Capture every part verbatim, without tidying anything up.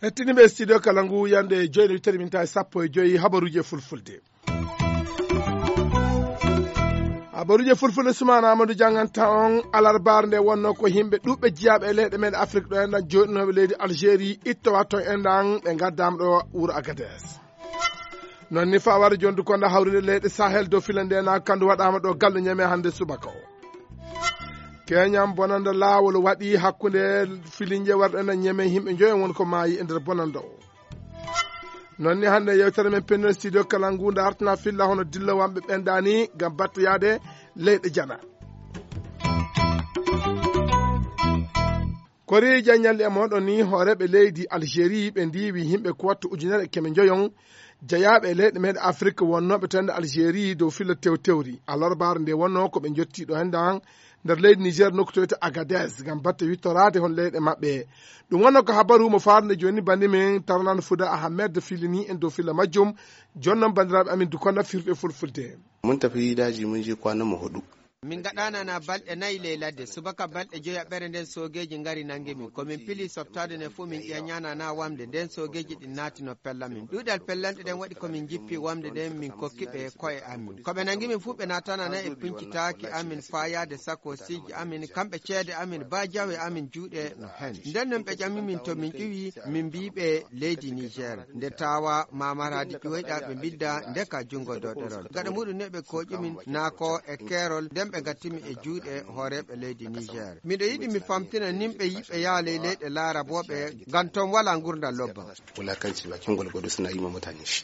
Hettiniiɓe studio kala ngu, yande joyde wittere min tawi sappo e joyi habaruuji e fulfulde. Habaruuji e fulfulde, Sumaana Amadou jannganta on. Alarbaare nde wonno ko yimɓe ɗuɓɓe jiyaaɓe e leyɗe men Afrik ɗo enɗan, jooɗinooɓe leydi Algérie, ittowa to enɗan, ɓe ngaddaama ɗo wuro Agadez. Noon ni, fawaare jondu konda hawrinde leyɗe Sahel dow fila nde na kandu waɗaama ɗo gallo Ñeme hannde subaka o. Keñam bonanda laawol waɗi hakkunde filinje warɗo enɗan Ñeme, yimɓe njoyo won ko maayi e nder bonanda o. Noon ni, hannde yewtere men pennel studio kala ngu dartana filla hono dillowamɓe ɓen dani ngam batta yaade leyɗe jana. Kori jaññalɗi e moɗon ni, hooreeɓe leydi Algérie ɓe ndiwi yimɓe ko wattu ujunere e keme njoyon jeyaaɓe e leyɗe meɗe Afrik wonnooɓe to nder Algérie dow filla tewtewri. Alarbaare nde wonno ko ɓe njotti ɗo hennde han nder leydi Niger, nokku to wiyetee Agadez, ngam batte wittoraade hon leyɗe maɓɓe. Ɗum wonno ko habaru mo faarnde jooni banndi men Tarnan Fuda Ahmed filini en dow filla majjum. Jooni noon, banndiraaɓe amin, dukonda firde fulfulde. Mun tafi daji mun je kwana mu hudu. Min ngaɗaana na balɗe nayi ley ladde. Subaka balɗe joyaɓere nden soogeeji ngari nangi min. Ko min pili softaade nden fof min ƴeeñaana na wamde. Nden soogeeji ɗin naati no pella min. Ɗuuɗal pellanɗe ɗen waɗi ko min njippi wamde nden min kokki ɓe ko'e amin. Ko ɓe nangi min fof ɓe naatana na e pincitaaki amin, faayaade sakoosiji amin, kamɓe ceede amin, ba jawe amin juuɗe no hen. Nden non ɓe ƴami min to min ƴuwi, min mbii ɓe leydi Niger. Nde tawa Mamar Hadi ƴuwoyɗa ɓe mbidda ndeka junngo doɗerol. Gaɗa muɗum ne ɓe kooƴi min naa ko e keerol, nden ɓe ngatti min e juuɗe hooreeɓe leydi Niger. Miɗo yiɗi mi famtina nimɓe yiɓɓe yaha ley leyɗe laarabooɓe, ngam ton walaa ngurndan lobba. Wulakanci bakin gwalgwado suna yi ma mutane shi.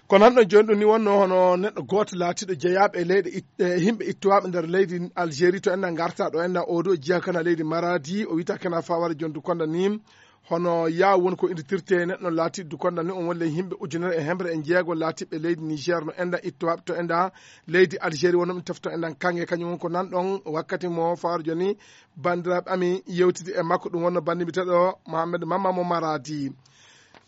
Ko nan ɗon jooni ɗum ni wonno hono neɗɗo gooto laatiiɗo jeyaaɓe e leyɗe it-, e yimɓe ittowaaɓe nder leydi Algérie to enna ngarta ɗo enna oɗo jeyaa kana leydi Maradi, o wiyata kana Fawara Jondu Konda ni. Hono yaaw woni ko innditirtee neɗɗo laatiiɗo Dukonda ni, on woni ley yimɓe ujunere e hemre e jeego laatiiɓe leydi Niger no enda ittowaaɓe to enda leydi Algérie, wonno ɓe tefto endan kaŋŋe. Kañum woni ko nan ɗon wakkati mo Fawara Jondu ni banndiraaɓe amin yewtidi e makko, ɗum wonno banndi mbiyeteeɗo Mohamed Mamma mo Maradi.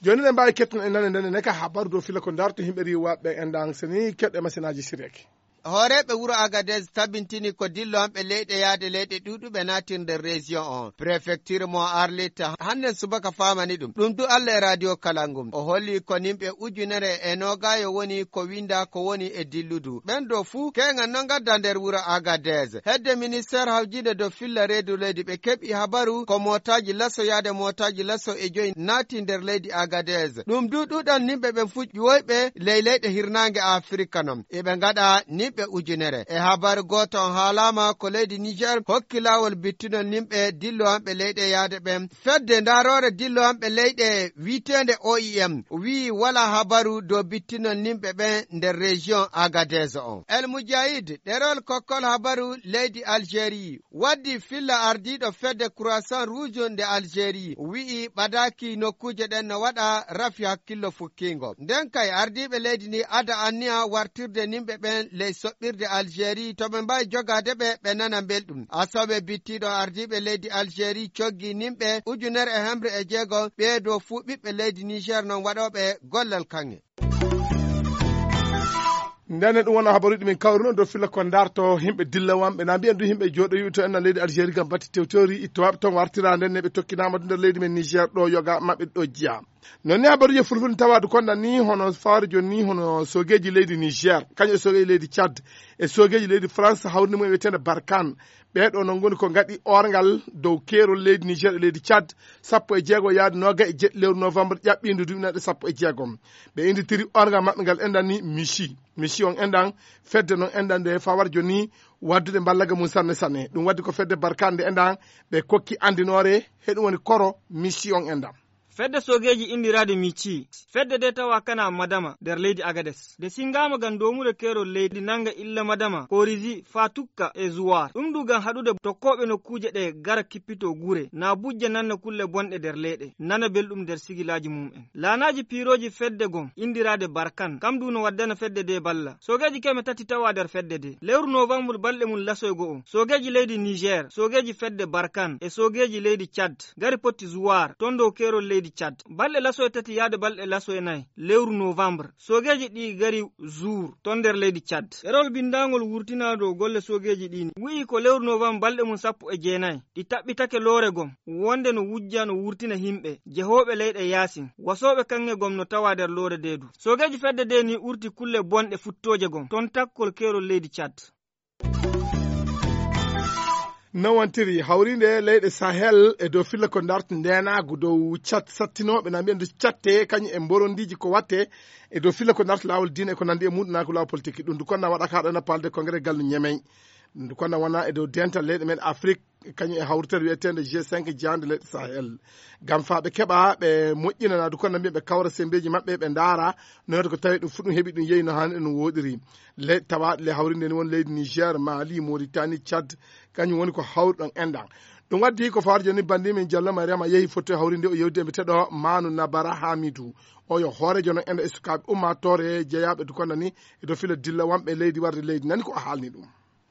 Jooni ne mbaawi ketton e nane ndene ne ka habaru dow fila ko darto yimɓe riiwaaɓe endan seni keɗɗe masinaaji siriyake. Hooreeɓe wuro Agadez tabintini ko dillo an ɓe leyɗe yaade leyɗe ɗuuɗuɓe naatirde région on. Préfecture mo Arlit hannden subaka faamani ɗum. Ɗum du Allah e radio Kalangum. O holli ko nimɓe ujunere e noogaayo woni ko winda ko woni e dilludu. Ɓen ɗo fuu keeŋan no ngadda nder wuro Agadez. Hedde ministère hawjinde dow filla reedu leydi ɓe keɓi habaru ko mootaaji laso yaade mootaaji laso e joyi naati nder leydi Agadez. Ɗum du ɗuɗal nimɓe ɓen fuu ƴuwoyɓe ley leyɗe hirnaange Afirika non. Eɓe ngaɗa nimɓe ujunere. E habaru gooto on haalaama ko leydi Niger hokki laawol bittinol nimɓe dillowanɓe leyɗe yaade ɓen. Fedde ndaaroore dillowanɓe leyɗe wi'eteende O I M wi'i walaa habaru dow bittinol nimɓe ɓen nder région Agadez on. El Mujahid, ɗerol kokkol habaru leydi Algérie, waddi filla ardiiɗo fedde Croissant Rouge nde Algérie, wi'i ɓadaaki nokkuuje ɗen no waɗa rafi hakkillo fukkiingo. Nden kay ardiiɓe leydi ndi ada anniya wartirde nimɓe ɓen ley soɓɓirde Algérie to ɓe mbaawi jogaade ɓe, ɓe nana mbelɗum. Asawe bittiiɗo ardiiɓe leydi Algérie coggi nimɓe ujunere e hemre e jeego, ɓee ɗo fuu ɓiɓɓe leydi Niger non waɗooɓe gollal kaŋŋe. Ndene ɗum wona habaruuji min kawruno dow filla ko darto yimɓe dillawanɓe. Na mbiyen du yimɓe jooɗoyiɓe to enna leydi Algérie ngam batti tewtori ittowaɓe toon wartira nden ne ɓe tokkinama du nder leydi men Niger ɗo yoga maɓɓe ɗo jiya. Non ni habaruuji fulfulde tawadu konda ni hono fawre joni ni hono sogeji leydi Niger, kañum e sogeji leydi Tchad e sogeji leydi France hawrinde mum e wiyetende Barkhane. Ɓee ɗoo noon ngoni ko ngaɗi oorngal dow keerol leydi Niger e leydi Tchad, sappo e jeego yaade noogay e jeɗɗi lewru novembre ƴaɓɓiindu duuɓi naɗe sappo e jeegom. Ɓe innditiri oorngal maɓɓe ngal enɗan ni Michi. Michi on enɗan, fedde noon enɗan nde fawar jooni waddude mballaga mum sanne sanne. Ɗum waddi ko fedde Barkhane nde enɗan ɓe kokki anndinoore, he ɗum woni koro Michi on enɗan. Fedde soogeeji inndiraaɗe Michi. Fedde nde tawa kana Madama nder leydi Agades. Nde sinngaama ngam doomude keerol leydi nannga illa Madama, Korizi, Fatukka e Zuwar. Ɗum du ngam haɗude tokkooɓe nokkuuje ɗe gara kippito gure, na bujja nanna kulle bonɗe nder leyɗe, nana belɗum nder sigilaaji mum'en. Laanaaji piirooji fedde gom inndiraaɗe Barkan, kam du no waddana fedde nde balla. Soogeeji keme tati tawa nder fedde nde. Lewru novambur balɗe mum lasoygo o, soogeeji leydi Niger, soogeeji fedde Barkan e soogeeji leydi Tchad ngari potti Zuwar, ton dow keerol leydi Tchad. Balɗe laso e tati yaade balɗe laso e nayi lewru novembre, soogeeji ɗi ngari Zour, ton nder leydi Tchad. Ɗerewol binndaangol wurtinaa dow golle soogeeji ɗi ni, wi'i ko lewru novembre balɗe mum sappo e jeenayi, ɗi taɓɓitake loore gom, wonde no wujja no wurtina himɓe, jehooɓe leyɗe yaasin, wasooɓe kaŋŋe gom no tawa nder loore nde du. Soogeeji fedde nde ni urti kulle bonɗe futtooje gom, ton takkol keerol leydi Tchad. Nawantiri hawriinde leyɗe Sahel e dow filla ko ndarta ndeenaagu dow cat sattinooɓe na mbiya ndu catte kañum e mborondiiji ko watte e dow filla ko ndarta laawol diine e ko nanndi e muɗum na ko laawol politique ɗum ndu konna waɗaka haɗo na palde congrès gallu ñemey. Ɗum ndu konna wona e dow dental leyɗe men Afrique kañum e hawritere wiyeteende G cinq jeyande leyɗe Sahel. Ngam faa ɓe keɓa ɓe moƴƴinana ndu konna mbiya ɓe kawra semmbeeji maɓɓe ɓe ndaara no wiyata ko tawi ɗum fuɗum heɓi ɗum yehi no haani ɗum woɗiri. Leyɗe tawaaɗe le hawrinde ni won leydi Niger, Mali, Mauritanie, Tchad, kañum woni ko hawri ɗon enɗan. Ɗum waddi ko fawar joni bandi min Diallo Mariama yehi foto hawrinde o yewdi e mbiyeteɗo Manu Nabara Hamidu. O yo hoorejo non enɗan e sukaaɓe ummaatoore jeyaaɓe du konna ni e dow fila dilla wonɓe leydi warde leydi nani ko o haalni ɗum.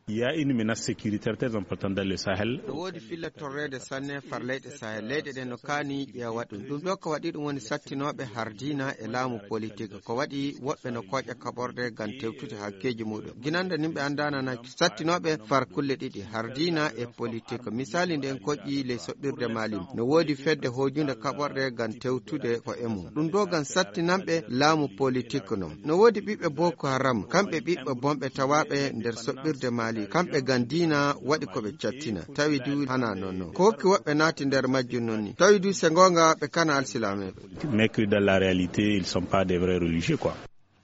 Il y a une menace sécuritaire très importante dans le Sahel. No woodi filla torreede sanne far leyɗe Sahel. Leyɗe ɗen no kaani ƴeewa ɗum. Ɗum ɗo ko waɗi ɗum woni sattinooɓe har diina e laamu politique. Ko waɗi woɓɓe no kooƴa kaɓorɗe ngam tewtude hakkeeji muɗum. Ginande nimɓe anndaana na sattinooɓe far kulle ɗiɗi har diina e politique. Misali nden koƴƴi ley soɓɓirde Mali. No woodi fedde hoojunde kaɓorɗe ngam tewtude ko e mum. Ɗum ɗo ngam sattinanɓe laamu politique non. No woodi ɓiɓɓe Boko Haram, kamɓe ɓiɓɓe bonɓe tawaaɓe nder soɓɓirde Mali, kamɓe ngam diina waɗi ko ɓe cattina, tawi du hana non non. Ko hokki woɓɓe naati nder majjum non ni, tawi du se ngoonga ɓe kana alsilameeɓe. Mercredi dans la réalité, ils sont pas des vrais religieux quoi.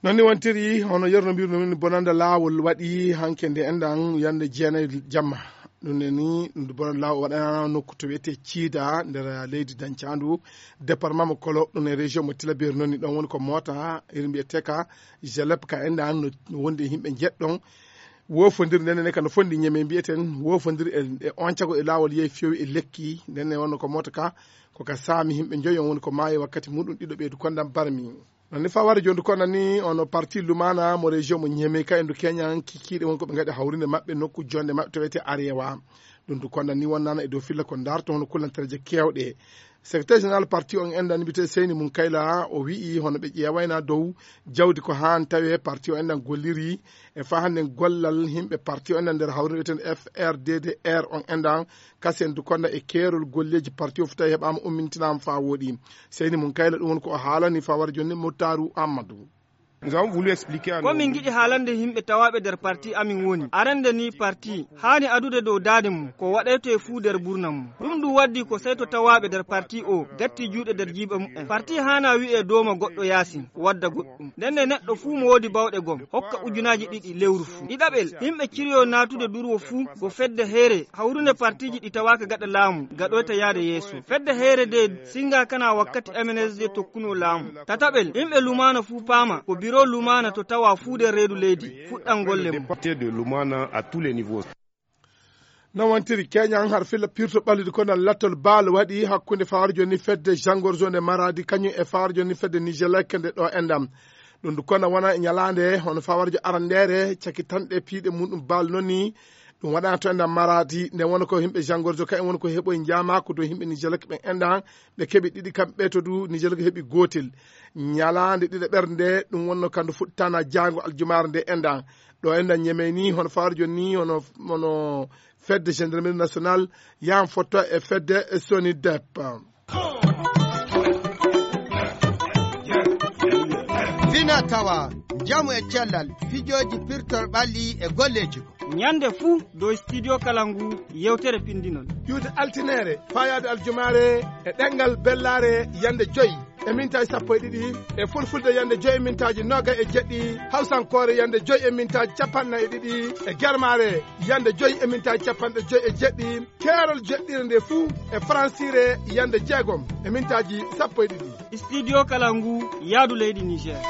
Non ni wontiri hono yerno mbirno min bonanda laawol waɗi hanke nde enɗan yande jeenayi jamma. Ɗum ne ni bonanda laawol waɗanano nokku to wiyete ciida nder leydi dancaandu département mo kolo ɗum e région mo tilaberi noon ni ɗon woni ko moota iri mbiyeteka jalep ka enɗan no wondi e yimɓe jeɗɗon. Wofondir ndene ne kano fondi ñeme mbiyeten wofondir e on cago e laawol yehi fewi e lekki ndene wonno ko moota ka ko ka saami yimɓe joyi on woni ko maayi wakkati muɗum ɗiɗo ɓeydu kondam barmi. Non ni faware jondu konna ni ono parti lumana mo région mo ñeme ka endu keñan kikiɗe won ko ɓe gaɗi hawrinde maɓɓe nokku jonde maɓɓe to wiyete arewa. Ɗum du konna ni wonnana e dow filla ko darto hono kullantereje kewɗe. Secrétaire général parti on enɗan mbiyete seyni mum kayla o wi'i hono ɓe ƴeewayna dow jawdi ko han tawe parti o enɗan golliri e fa hannde gollal yimɓe parti o enɗan nder hawrinde wiyeten frddr on enɗan kasen du konna e keerol golleeji parti o fo tawi heɓaama ummintinaama faa wooɗi. Seyni mum kayla ɗum woni ko o haalani fawar jonni mottaru ammadu. Ko min ngiɗi haalande yimɓe tawaaɓe nder parti amin woni arande ni parti haani adude dow daade mum ko waɗayto e fuu nder burna mum. Ɗum ɗum waddi ko sey to tawaaɓe nder parti o gatti juuɗe nder jiiba mumen. Parti haana wi'e dooma goɗɗo yaasin wadda goɗɗum. Ndenne neɗɗo fuu mo woodi bawɗe gom hokka ujunaaji ɗiɗi lewru fuu. Ɗiɗaɓel, yimɓe ciryo naatude durwo fuu go fedde heere hawrunde partiiji ɗi tawaaka gaɗa laamu gaɗoyta yaade yeeso. Fedde heere de singa kana wakkati M N S D tokkuno laamu. Tataɓel, yimɓe lumaana fuu paama ko biro lumaana to tawa fuu nder reedu leydi fuɗɗan golle mum. Non wontiri keñan har filla pirto ɓallude konal lattol baal waɗi hakkunde fawar joni fedde jangor zone maradi kañum e fawar joni fedde nigelek nde ɗo endam. Ɗum du kona wona e ñalande hono fawarjo arandere cakitanɗe piiɗe muɗum baal noni. Ɗum waɗana to endam maradi nde wona ko yimɓe jangorjo ka en woni ko heɓoye jamako dow yimɓe nigelek ɓen endan. Ɓe keɓi ɗiɗi kamɓe to du nigelek heɓi gotel. Ñalande ɗiɗo ɓernde ɗum wonno kandu fuɗtana jango aljumare nde endan. Ɗo enɗan ñemey ni hono fawarjo ni hono hono fedde gendarmerie nationale yan fotto e fedde sonidep. Fina tawa njamu e cellal fijooji pirtol ɓalli e golleeji ko. Ñande fuu dow studio kala ngu yewtere pindinol. Ƴuwde altinere fayaade aljumaare e ɗengal bellaare yande joyi e mintaaji sappo e ɗiɗi e fulfulde yande joyi e mintaaji noga e jeɗɗi hawsankoore yande joyi e mintaaji capanɗe nayi e ɗiɗi e germaare yande joyi e mintaaji capanɗe joyi e jeɗɗi keerol jeɗɗire nde fuu e faransire yande jeegom e mintaaji sappo e ɗiɗi. Studio kala ngu yaadu leydi Niger.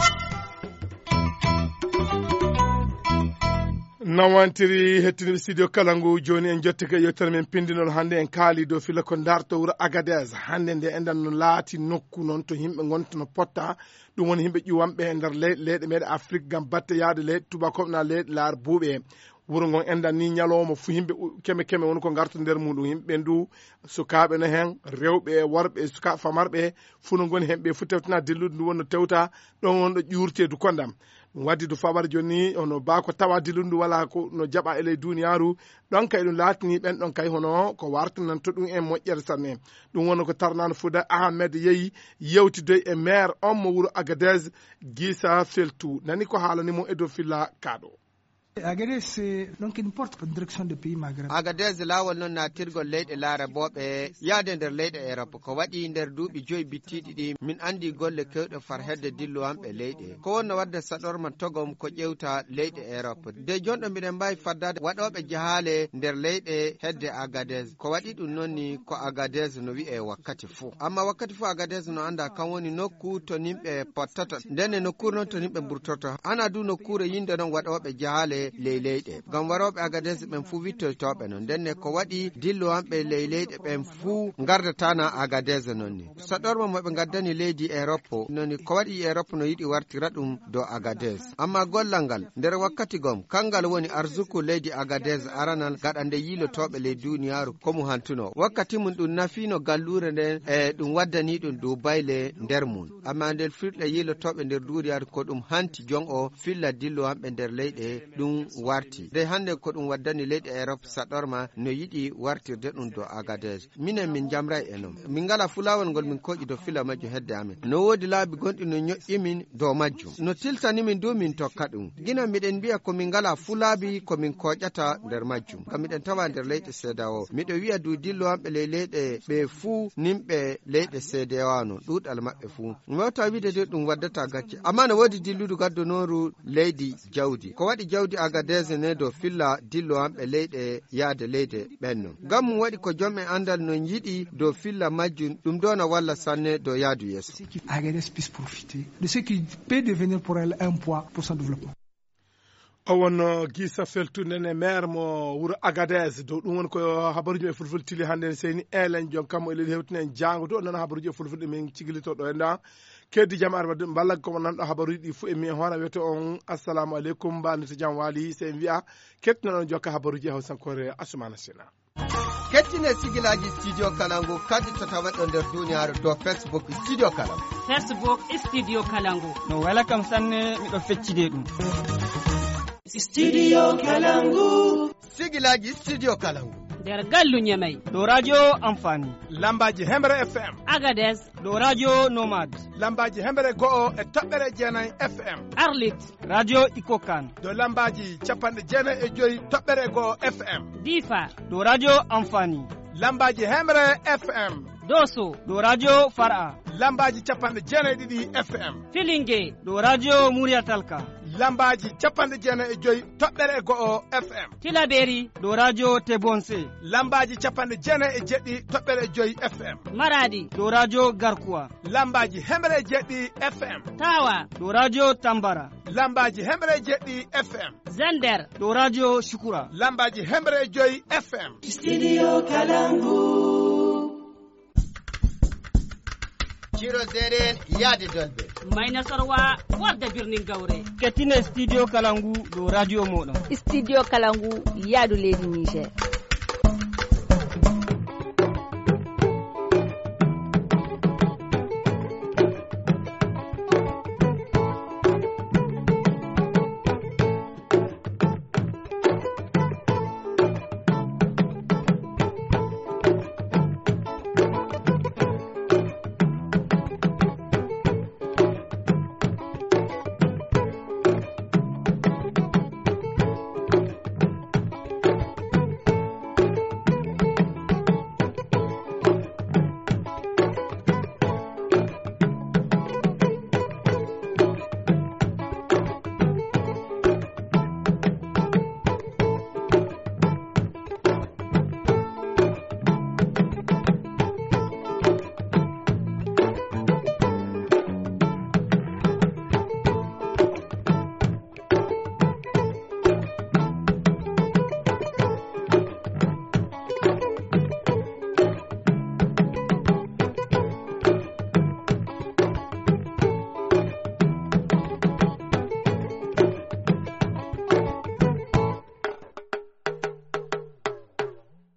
Nawantiri hettiniɓe studio kala ngu joni en jottike yewtere men pindinol hannde en kaali dow fila ko darto wuro agadez hannde nde enɗan no laati nokku noon to yimɓe gonta no potta. Ɗum woni yimɓe ƴuwanɓe e nder leyɗe leyɗe meɗe afrique gam batte yaade leyɗe tubakoɓe na leyɗe laar buuɓe. Wuro ngon enɗan ni ñalawma fuu yimɓe u-, keme keme woni ko ngarta nder muuɗum. Yimɓe ɓen du, sukaaɓe no hen, rewɓe e worɓe e suka-, famarɓe, fuu no ngoni hen. Ɓe fuu tewtina dillude ndu wonno tewta, ɗon wonɗo ƴuurteedu kondam. Ɗum waddi du fawar jooni, hono baa ko tawa dillude ndu walaa ko no jaɓa e ley duuniyaaru, ɗon kay ɗum laatini ɓen ɗon kay hono ko wartananto ɗum en moƴƴere sanne. Ɗum wonno ko Tarnan Fuuda Ahmed yehi yewtidoy e maire on mo wuro Agadez, Gisa Feltu. Nani ko haalani mo e dow filla kaaɗo. Agadez, c'est donc une porte pour direction des pays maghrébins. Agadez laawol non naatirgol leyɗe laarabooɓe yaade nder leyɗe Europe. Ko waɗi nder duuɓi joyi bittiiɗi ɗi, min anndi golle keewɗe far hedde dillowanɓe leyɗe. Ko wonno wadde saɗorma togom ko ƴewta leyɗe Europe. De jonɗo mbiɗen mbaawi faddaade waɗooɓe jahaale nder leyɗe hedde Agadez. Ko waɗi ɗum non ni ko Agadez no wi'e wakkati fuu. Amma wakkati fuu Agadez no annda kan woni nokku to nimɓe pottata. Ndenne nokkuure non to nimɓe mburtorto. Hana du nokkuure yinde non waɗooɓe jahaale ley leyɗe. Ngam warooɓe Agadez ɓen fuu wittoytooɓe non. Ndenne ko waɗi dillowanɓe ley leyɗe ɓen fuu ngardatana Agadez non ni. Saɗorma mo ɓe ngaddani leydi Europe non ni ko waɗi Europe no yiɗi wartira ɗum dow Agadez. Amma gollal ngal, nder wakkati gom, kangal woni arsuku leydi Agadez aranal gaɗa nde yiilotooɓe ley duuniyaaru ko mu hantuno. Wakkati mum ɗum nafiino galluure nden e ɗum waddani ɗum duubayle nder mum. Amma nder firɗe yiilotooɓe nder duuniyaaru ko ɗum hanti jon o filla dillowanɓe nder leyɗe ɗum warti. Nde hannde ko ɗum waddani leyɗe Europe saɗorma no yiɗi wartirde ɗum dow Agadez. Minen min njamray e non. Min ngala fulawol ngol min koƴi dow fila majjum hedde amen. No woodi laabi gonɗi no ñoƴƴi min dow majjum. No tiltani min du min tokka ɗum. Gina miɗen mbi'a ko min ngala fulaabi ko min koƴata nder majjum. Ngam miɗen tawa nder leyɗe seedawo. Miɗo wi'a du dillowanɓe ley leyɗe ɓe fuu nimɓe leyɗe seedewa no ɗuuɗal maɓɓe fuu. Mi wawta wi'de de ɗum waddata gacce. Amma no woodi dilludu gaddonooru leydi jawdi. Ko waɗi jawdi Agadez ne dow filla dillowanɓe leyɗe yaade leyde ɓenno. Ngam mum waɗi ko jom e anndal non yiɗi dow filla majjum, ɗum ɗo na walla sanne dow yaadu yeeso. Agadez puisse profiter de ce qui peut devenir pour elle un poids pour son développement. O wonno Gisa Feltu nene maire mo wuro Agadez. Dow ɗum woni ko habaruji men fulfulde tili hannde en seyni elen jon kammo e leydi hewtinen jaango to. Noon habaruji e fulfulde min cigilito ɗo e nda. Keddi jam ar wadde mballa ko nanɗo habaruji ɗi fuu e mi e hoore wiyete on assalamu aleykum, mbalnita jam waali. Sey en wi'a kettinoɗon jokka habaruji e hawsankoore Asumana Sina. Kettine sigilaaji Studio Kalangu kadi to tawaɗo nder duniyaaru dow Facebook Studio Kalangu. Facebook Studio Kalangu. No wela kam sanne, miɗo feccide ɗum. Studio Kalangu. Sigilaaji Studio Kalangu. Nder gallu Ñamey. Ɗo radio Amfani. Lambaaji Hemre F M. Agadez. Ɗo radio Nomad. Lambaaji Hemre go'o e toɓɓere jeenay F M. Arlit. Radio Ikokan. Ɗo lambaaji capanɗe jeenay e joyi toɓɓere go'o F M. Difa. Ɗo radio Amfani. Lambaaji Hemre F M. Doso. Ɗo radio Far'a. Lambaaji capanɗe jeenay ɗiɗi F M. Filinge. Ɗo radio Muriyatalka. Lambaaji capanɗe jeenay e joyi toɓɓere e go'o F M. Tilaberi. Ɗo radio Tebonse. Lambaaji capanɗe jeenay e jeɗɗi toɓɓere e joyi F M. Maradi. Ɗo radio Garkuwa. Lambaaji hemre e jeɗɗi F M. Tawa. Ɗo radio Tambara. Lambaaji hemre e jeɗɗi F M. Zander. Ɗo radio Shukura. Lambaaji hemre e joyi F M. Studio Kalangu. Ciro Zeren yaade Dolbe. Mayna Sorwa warde birnin Gawre. Kettine Studio Kalangu ɗo radio moɗon. Studio Kalangu yaadu leydi Niger.